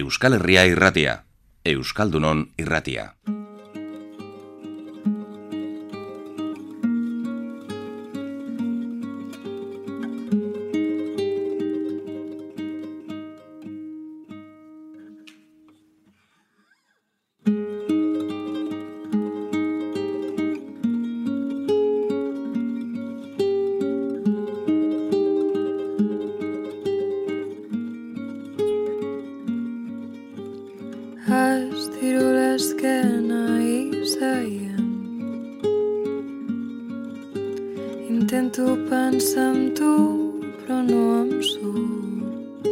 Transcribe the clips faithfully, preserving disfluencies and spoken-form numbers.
Euskal Herria irratia, Euskaldunon irratia. Intento pensar en tu, però no em surt.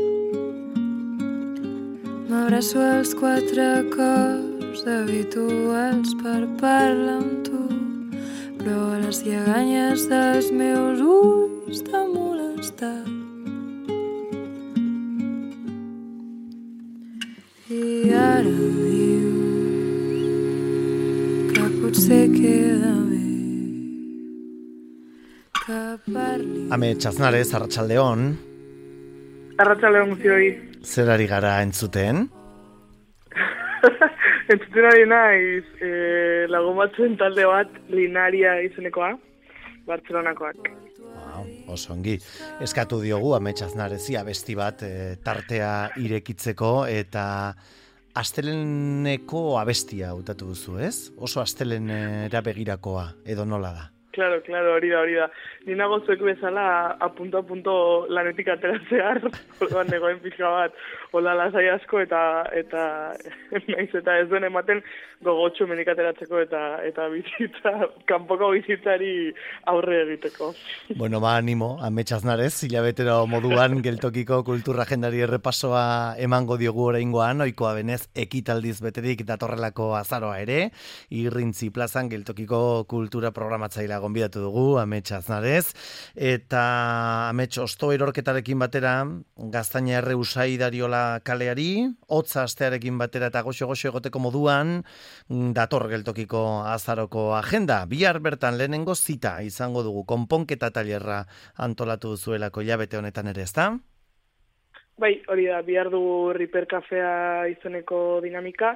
M'abraço als quatre cors habituals per parlar amb tu, però a les lleganyes dels meus ulls t'ha molestat. I ara dius que potser queda bé. Amets Aznarez, Arratsaldeon. Arratsaldeon guztioi. Zer ari gara entzuten? Entzuten ari naiz eh, lagumatzen talde bat Linaria izenekoa, Bartzelonakoak. Wow, oso ongi. Eskatu diogu Amets Aznarezi abesti bat e, tartea irekitzeko eta asteleneko abestia hautatu duzu, ez? Oso astelenera begirakoa, edo nola da? Claro, claro, hori da, hori da. Ni nago zuek bezala a punto a punto lanetik ateratzear, orduan negoen pixka bat, hola lasai asko eta eta naiz eta ez duen ematen gogotxu menik ateratzeko eta eta bizitza, kanpoko bizitzari aurre egiteko. Bueno, ba, animo, Amets Aznarez, hilabetero moduan geltokiko kultura agendari errepasoa emango diogu oraingoan, ohikoa benez ekitaldiz beterik datorrelako azaroa ere, Irrintzi plazan geltokiko kultura programatzailea gonbidatu dugu, Amets Aznarez, eta Amets osto erorketarekin batera, Gaztaina erre usai dariola kaleari, hotza astearekin batera eta goxo-goxo egoteko moduan, dator geltokiko azaroko agenda. Bihar bertan lehenengo zita izango dugu, konponketa tailerra antolatu duzuelako hilabete honetan ere, ezta? Bai, hori da, bihar dugu Riper Kafea izeneko dinamika,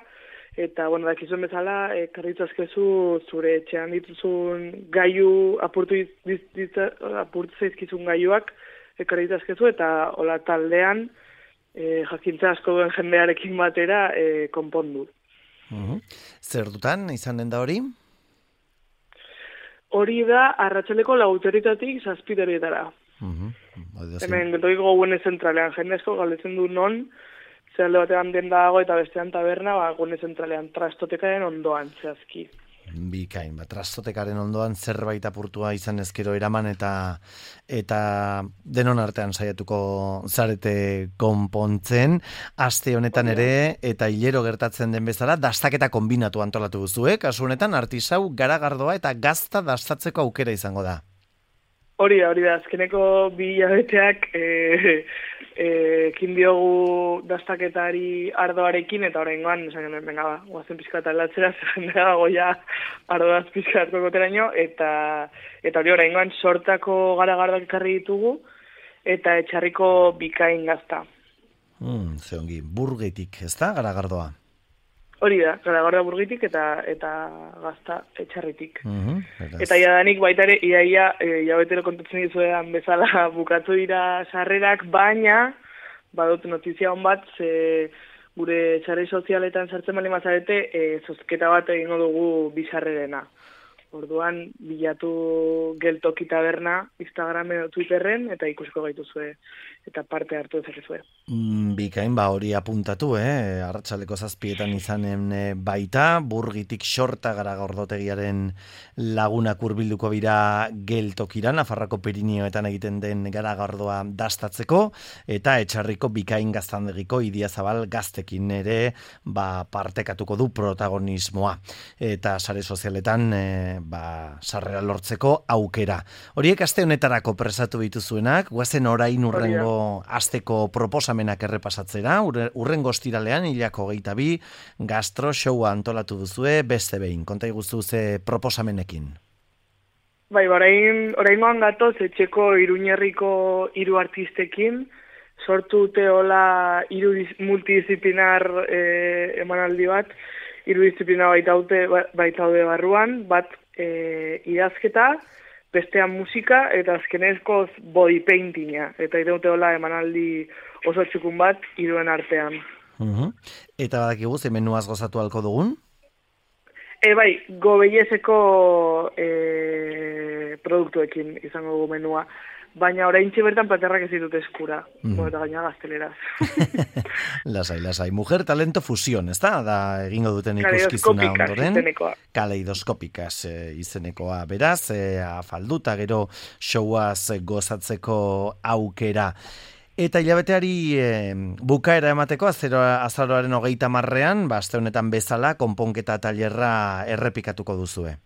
eta, bueno, dakizuen bezala, e, karritzazkezu zure etxean dituzun gaiu, apurtu, diz, diz, apurtu zaizkizun gaiuak, e, karritzazkezu, eta hola taldean, e, jakintza asko duen jendearekin batera, e, konpondu. Uh-huh. Zer dutan, izan den da hori? Hori da, arratsaleko lauterritatik zazpiderietara. Uh-huh. Hemen, geltokiko gune zentralean, jende asko galdetzen du non, zer alde batean denda dago eta bestean taberna, ba, gune zentralean, trastotekaren ondoan, zehazki. Bikain, ba, trastotekaren ondoan zerbait apurtua izan ezkero eraman eta eta denon artean saiatuko zarete konpontzen. Aste honetan ere eta hilero gertatzen den bezala dastaketa kombinatu antolatu duzuek, kasu honetan artisau, garagardoa eta gazta dastatzeko aukera izango da. Hori da, hori da, azkeneko bi hilabeteak e, e, ekin diogu dastaketari ardoarekin, eta oraingoan, esan genuen, venga, ba, guazen pixka eta aldatzera, zer dago ja ardoaz pixka hartu goteraino, eta, eta hori oraingoan sortako garagardoak ekarri ditugu, eta etxarriko bikain gazta. Hmm, ze ongi, burgetik, ez da, garagardoa? Hori da, garagardoa burgitik eta eta gazta etxarritik. Uh-huh, eta jadanik baita ere, iaia, e, jabetero kontatzen dizuean bezala bukatu dira sarrerak, baina, badut notizia hon bat, ze gure sare sozialetan sartzen bali mazarete, e, zozketa bat egingo dugu bizarrerena. Orduan, bilatu geltoki taberna Instagram edo Twitterren, eta ikusiko gaituzue, eta parte hartu dezakezue. Mm, bikain, ba hori apuntatu, eh? Arratsaleko zazpietan izanen e, baita, burgitik xorta gara gordotegiaren lagunak hurbilduko bira geltokira, Nafarrako Pirinioetan egiten den garagardoa dastatzeko, eta etxarriko bikain gaztandegiko Idiazabal gaztekin ere ba, partekatuko du protagonismoa. Eta sare sozialetan e, ba, sarrera lortzeko aukera. Horiek aste honetarako presatu dituzuenak, guazen orain urrengo asteko proposamenak errepasatzera, urrengo ostiralean hilako geita bi, gastro showa antolatu duzue, beste behin, konta iguzu ze proposamenekin. Bai, orain, oraingoan gatoz etxeko Iruñerriko hiru artistekin, sortu dute hola hiru multidisziplinar e, emanaldi bat, hiru disiplina baitaude baitaude barruan, bat e, idazketa, bestean musika eta azkenezkoz body paintinga. Eta iraute hola emanaldi oso txukun bat hiruen artean. Uh-huh. Eta badakigu ze menuaz gozatu halko dugun? E, bai, gobellezeko e, produktuekin izango dugu menua. Baina oraintxe bertan platerrak ez ditut eskura. Mm. Bueno, eta gaina gazteleraz. Lasai, lasai. Mujer talento fusión, ez da? Da egingo duten ikuskizuna ondoren. Kaleidoskopikas izenekoa. Beraz, e, afalduta gero showaz gozatzeko aukera. Eta hilabeteari e, bukaera emateko, azero, azaroaren hogeita marrean, ba, aste honetan bezala, konponketa tailerra errepikatuko duzue.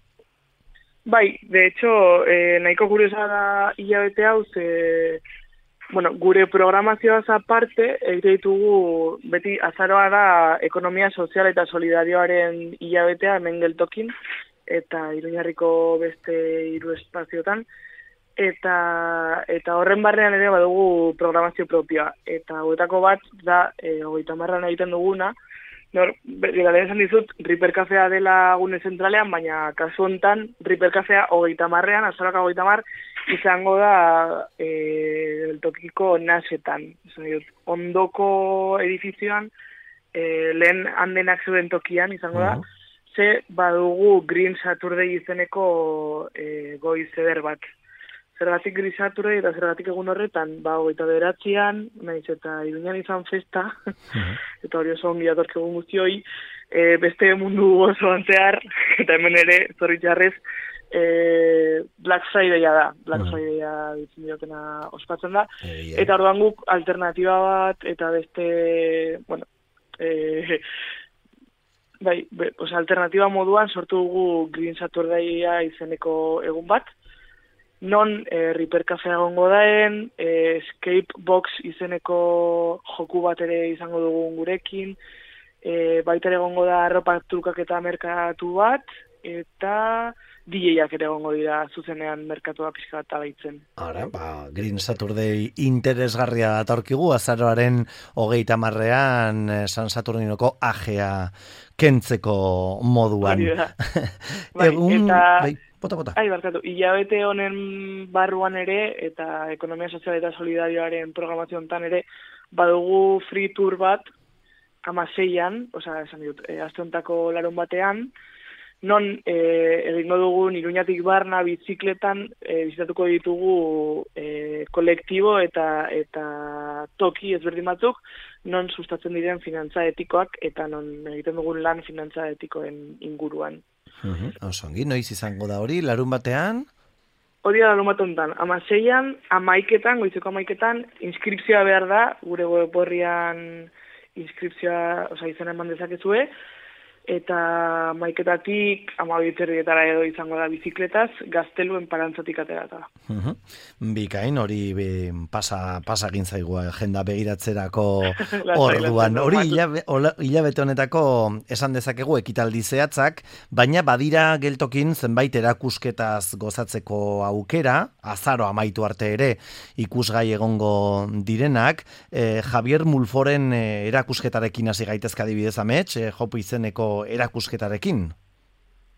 Bai, de hecho, eh, nahiko kuriosa da hilabete hau, ze, bueno, gure programazioaz aparte, egite ditugu, beti azaroa da ekonomia sozial eta solidarioaren hilabetea hemen geltokin, eta Iruñarriko beste hiru espaziotan, eta eta horren barrean ere badugu programazio propioa, eta hauetako bat da, e, hogeita marran egiten duguna. Nor, gara lehen esan dizut, Ripper Cafea dela gune zentralean, baina kasu hontan Ripper Cafea hogeita marrean, azaroak hogeita mar, izango da e, tokiko nasetan. Ondoko edifizioan, e, lehen handenak zeuden tokian izango da, uh-huh. ze badugu Green Saturday izeneko e, goiz eder bat. Zergatik Green Saturday eta zergatik egun horretan, ba, hogeita bederatzean, naiz eta Iruñan izan festa, uh-huh. eta hori oso ongi atork egun guztioi, e, beste mundu oso antzear, eta hemen ere, zorritxarrez, e, Black Friday-a da, Black uh-huh. Friday-a ditzen diotena ospatzen da, e, yeah. eta orduan guk alternatiba bat, eta beste, bueno, e, bai, be, oza, alternatiba moduan sortu dugu Green Saturday-a izeneko egun bat, non e, Ripper Cafea egongo daen, e, Escape Box izeneko joku bat ere izango dugun gurekin, e, baita ere egongo da arropa trukaketa merkatu bat, eta D J-ak ere egongo dira zuzenean merkatua pixka bat abaitzen. Ara, ba, Green Saturday interesgarria datorkigu, azaroaren hogeita marrean San Saturninoko ajea kentzeko moduan. bai, Egun, eta... bai. Bota, bota. Ai, barkatu, hilabete honen barruan ere, eta ekonomia sozial eta solidarioaren programazio honetan ere, badugu free tour bat, amaseian, oza, esan dut, e, aste hontako larun batean, non e, egingo dugun Iruñatik barna bizikletan e, bizitatuko ditugu e, kolektibo eta eta toki ezberdin batzuk, non sustatzen diren finantza etikoak, eta non egiten dugun lan finantza etikoen inguruan. Uh-huh. Osongi, noiz izango da hori, larun batean? Hori da larun bat honetan, amaseian, amaiketan, goizeko amaiketan, inskripzioa behar da, gure web horrian inskripzioa, oza, izena eman dezakezue, eta maiketatik amabiterrietara edo izango da bizikletaz, gazteluen parantzatik aterata. Uh-huh. Bikain, hori be, pasa, pasa gintzaigu agenda begiratzerako orduan. Hori hilabete honetako esan dezakegu ekitaldi zehatzak, baina badira geltokin zenbait erakusketaz gozatzeko aukera, azaro amaitu arte ere ikusgai egongo direnak, eh, Javier Mulforen eh, erakusketarekin hasi gaitezka adibidez amets, eh, jopu izeneko erakusketarekin.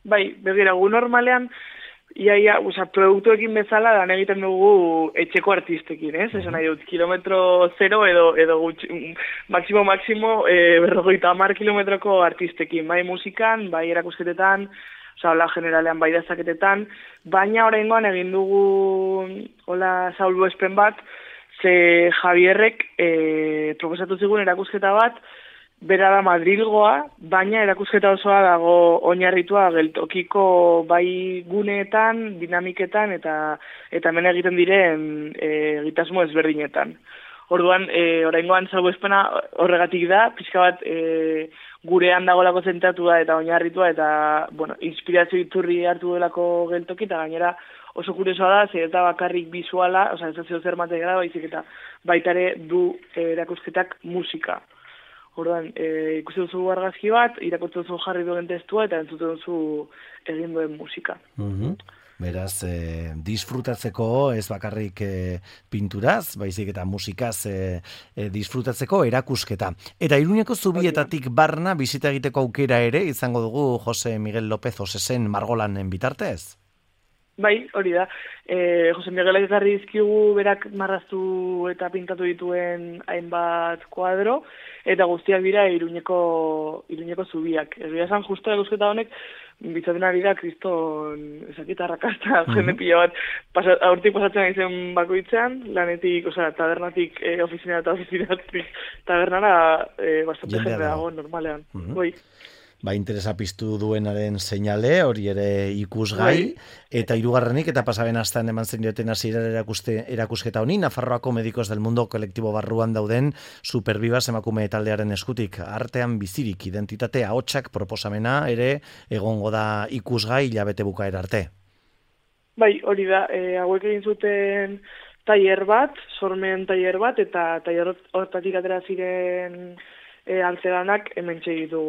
Bai, begira, gu normalean, iaia, oza, produktuekin bezala, dan egiten dugu etxeko artistekin, ez? Esan nahi dut, kilometro zero edo, edo gutxi, maksimo, maksimo, e, berrogeita hamar kilometroko artistekin, bai musikan, bai erakusketetan, oza, hola generalean, bai dazaketetan, baina oraingoan egin dugu, hola, Saul espen bat, ze Javierrek e, proposatu zigun erakusketa bat, bera da Madrilgoa, baina erakusketa osoa dago oinarritua geltokiko bai guneetan, dinamiketan eta eta hemen egiten diren e, egitasmo ezberdinetan. Orduan, e, oraingoan salbuespena horregatik da, pixka bat e, gurean dagolako zentratua eta oinarritua eta, bueno, inspirazio iturri hartu delako geltoki eta gainera oso kuriosoa da, zer eta bakarrik bizuala, oza, ez da zeo zer materiala, baizik eta baitare du e, erakusketak musika. Orduan, e, ikusten duzu argazki bat, irakurtzen duzu jarri duen testua eta entzuten duzu egin duen musika. Uh-huh. Beraz, e, disfrutatzeko ez bakarrik e, pinturaz, baizik eta musikaz e, e, disfrutatzeko erakusketa. Eta Iruñeko zubietatik barna bizita egiteko aukera ere izango dugu Jose Miguel López Osesen margolanen bitartez? Bai, hori da. E, Jose Miguel ekarri dizkigu berak marraztu eta pintatu dituen hainbat kuadro, eta guztiak dira Iruñeko, Iruñeko zubiak. Egia esan, justo erakusketa honek, bitzaten ari da kriston ezakita rakasta, mm-hmm. jende pila bat, pasa, aurtik pasatzen izen bakoitzean, lanetik, osea, tabernatik e, ofizinera eta ofizinatik tabernara e, bastante jende dago normalean. Mm-hmm. Bai. Ba, interesa piztu duenaren seinale, hori ere ikusgai, eta hirugarrenik eta pasaben astan eman zen dioten hasiera erakuste erakusketa honi, Nafarroako Medikos del Mundo kolektibo barruan dauden Superbibas emakume taldearen eskutik, artean bizirik identitate ahotsak proposamena ere egongo da ikusgai hilabete bukaera arte. Bai, hori da, e, hauek egin zuten tailer bat, sormen tailer bat, eta tailer hortatik atera ziren E, altzedanak hemen txegitu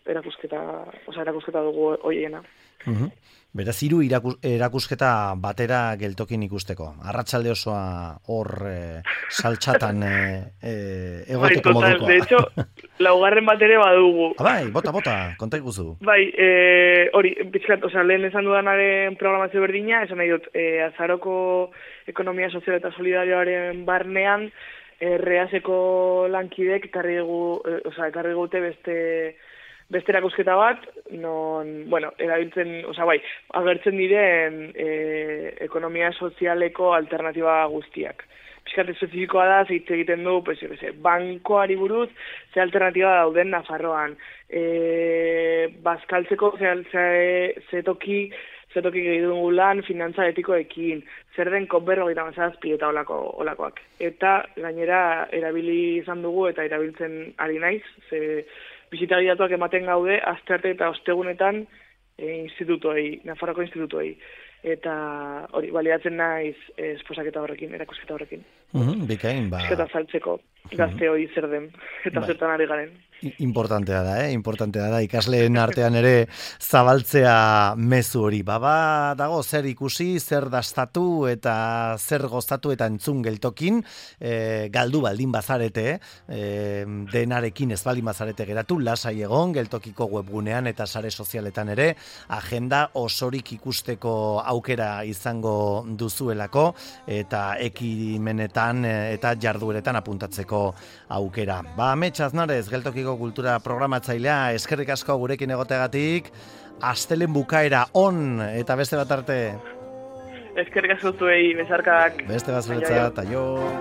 erakusketa, oza, erakusketa dugu hoiena. Uh-huh. Beraz, hiru irakus, erakusketa batera geltokin ikusteko. Arratsalde osoa hor e, saltxatan e, e, egoteko bai, modukoa. De hecho, laugarren bat ere badugu. Ah, bai, bota, bota, konta ikuzu. Bai, e, hori, pixkat, oza, lehen esan dudanaren programazio berdina, esan nahi dut, e, azaroko ekonomia sozial eta solidarioaren barnean, Erreaseko lankidek ekarri dugu, e, oza, ekarri gute beste beste erakusketa bat, non, bueno, erabiltzen, oza, bai, agertzen diren e, ekonomia sozialeko alternatiba guztiak. Piskat espezifikoa da, zeitz egiten du, pues, yo que sé, bankoari buruz, ze alternatiba dauden Nafarroan. E, bazkaltzeko, ze, ze, ze toki, ze toki gehiago lan, finantza etikoekin, zer den konberro gita mazazpi eta olako, olakoak. Eta gainera erabili izan dugu eta erabiltzen ari naiz, ze bisita gidatuak ematen gaude, astearte eta ostegunetan e, institutuei, Nafarroko institutuei. Eta hori, baliatzen naiz e, esposaketa horrekin, erakusketa horrekin. Mm-hmm, bikain, ba... Eta saltzeko gazte hori zer den, eta ba. Zertan ari garen. Importantea da, eh? Importantea da, ikasleen artean ere zabaltzea mezu hori. Baba dago zer ikusi, zer dastatu eta zer gozatu eta entzun geltokin, e, galdu baldin bazarete, e, denarekin ez baldin bazarete geratu, lasai egon, geltokiko webgunean eta sare sozialetan ere, agenda osorik ikusteko aukera izango duzuelako, eta ekimenetan eta jardueretan apuntatzeko aukera. Ba, Amets Aznarez, geltokiko kultura programatzailea, eskerrik asko gurekin egoteagatik, astelen bukaera on eta beste bat arte. Eskerrik asko zuei, besarkak. Beste bat zuretzat, aio.